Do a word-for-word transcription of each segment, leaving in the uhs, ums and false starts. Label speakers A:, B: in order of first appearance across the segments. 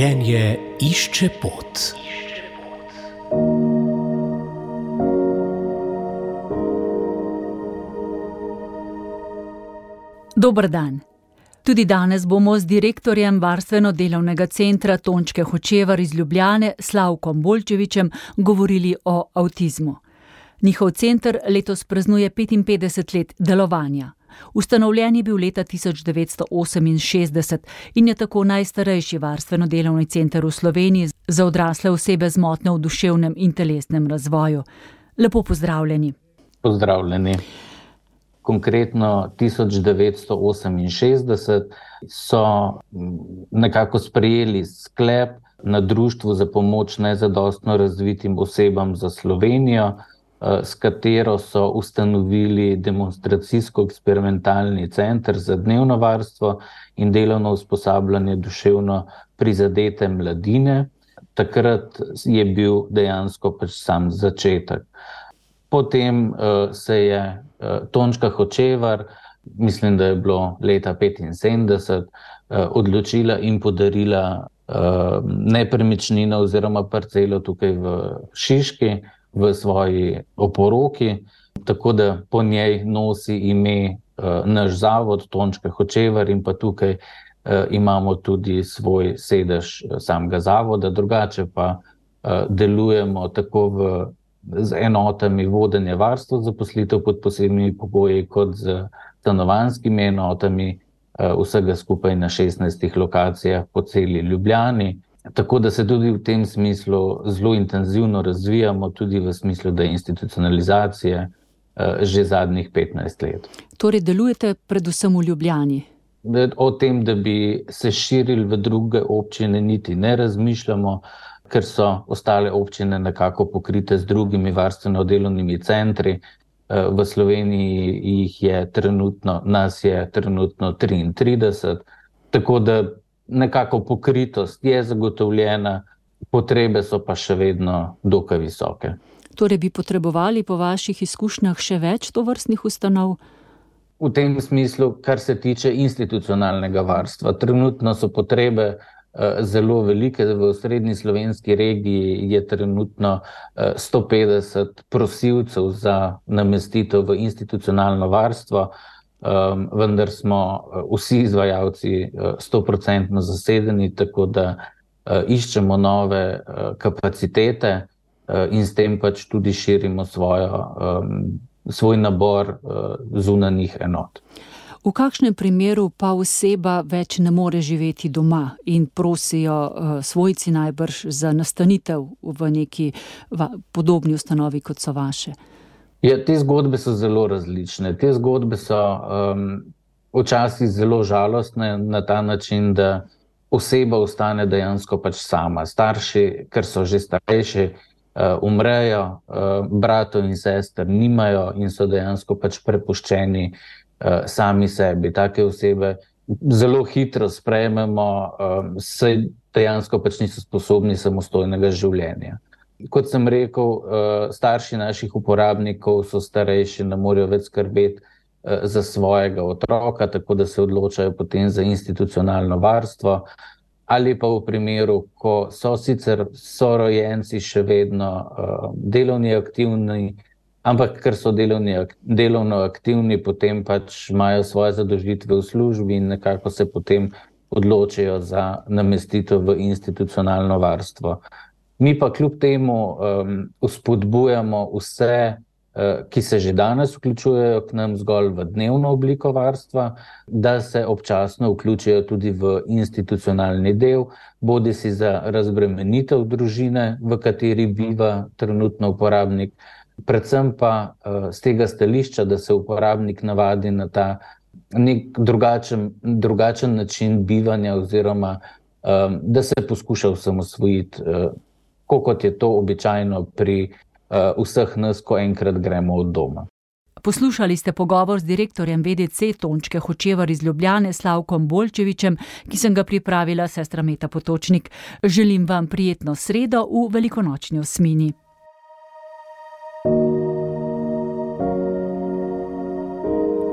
A: Življenje išče pot.
B: Dober dan. Tudi danes bomo z direktorjem Varstveno-delovnega centra Tončke Hočevar iz Ljubljane, Slavkom Bolčevićem, govorili o avtizmu. Njihov center letos praznuje petinpetdeset let delovanja. Ustanovljen je bil leta tisoč devetsto oseminšestdeset in je tako najstarejši varstveno-delovni center v Sloveniji za odrasle osebe z motnjo v duševnem in telesnem razvoju. Lepo pozdravljeni.
C: Pozdravljeni. Konkretno tisoč devetsto oseminšestdeset so nekako sprejeli sklep na Društvu za pomoč nezadostno razvitim osebam za Slovenijo, s katero so ustanovili demonstracijsko-eksperimentalni center za dnevno varstvo in delovno usposabljanje duševno prizadete mladine. Takrat je bil dejansko pač sam začetek. Potem uh, se je uh, Tončka Hočevar, mislim, da je bilo leta petinsedemdeset, uh, odločila in podarila uh, nepremičnino oziroma parcelo tukaj v Šiški, v svoji oporoki, tako da po njej nosi ime uh, naš zavod Tončka Hočevar in pa tukaj uh, imamo tudi svoj sedež samega zavoda, drugače pa uh, delujemo tako v z enotami vodenja varstva zaposlitev pod posebnimi pogoji, kot z stanovanjskimi enotami, vsega skupaj na šestnajstih lokacijah po celi Ljubljani. Tako da se tudi v tem smislu zelo intenzivno razvijamo, tudi v smislu deinstitucionalizacije že zadnjih petnajst let.
B: Torej delujete predvsem v Ljubljani?
C: O tem, da bi se širili v druge občine, niti ne razmišljamo, ker so ostale občine nekako pokrite z drugimi varstveno-delovnimi centri. V Sloveniji jih je trenutno, nas je trenutno triintrideset, tako da nekako pokritost je zagotovljena, potrebe so pa še vedno dokaj visoke.
B: Torej bi potrebovali po vaših izkušnjah še več tovrstnih ustanov?
C: V tem smislu, kar se tiče institucionalnega varstva, trenutno so potrebe zelo velike. V osrednji slovenski regiji je trenutno sto petdeset prosilcev za namestitev v institucionalno varstvo, vendar smo vsi izvajalci sto procentno zasedeni, tako da iščemo nove kapacitete in s tem pač tudi širimo svojo, svoj nabor zunanjih enot.
B: V kakšnem primeru pa oseba več ne more živeti doma in prosijo uh, svojci najbrž za nastanitev v neki va- podobni ustanovi, kot so vaše?
C: Ja, te zgodbe so zelo različne. Te zgodbe so um, včasih zelo žalostne na ta način, da oseba ostane dejansko pač sama. Starši, ker so že starejši, uh, umrejo, uh, bratov in sester nimajo in so dejansko pač prepuščeni sami sebi. Take osebe zelo hitro sprejmemo, saj dejansko pač niso sposobni samostojnega življenja. Kot sem rekel, starši naših uporabnikov so starejši, ne morejo več skrbeti za svojega otroka, tako da se odločajo potem za institucionalno varstvo, ali pa v primeru, ko so sicer sorojenci še vedno delovni aktivni, ampak ker so delovni, delovno aktivni, potem pač imajo svoje zadolžitve v službi in nekako se potem odločijo za namestitev v institucionalno varstvo. Mi pa kljub temu um, vzpodbujamo vse, uh, ki se že danes vključujejo k nam zgolj v dnevno obliko varstva, da se občasno vključijo tudi v institucionalni del, bodisi za razbremenitev družine, v kateri biva trenutno uporabnik, predvsem pa uh, z tega stališča, da se uporabnik navadi na ta nek drugačen, drugačen način bivanja oziroma um, da se poskuša osamosvojiti, uh, kot je to običajno pri uh, vseh nas, ko enkrat gremo od doma.
B: Poslušali ste pogovor z direktorjem V D C Tončke Hočevar iz Ljubljane, Slavkom Bolčevićem, ki sem ga pripravila sestra Meta Potočnik. Želim vam prijetno sredo v velikonočni osmini.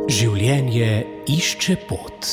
A: Življenje išče pot.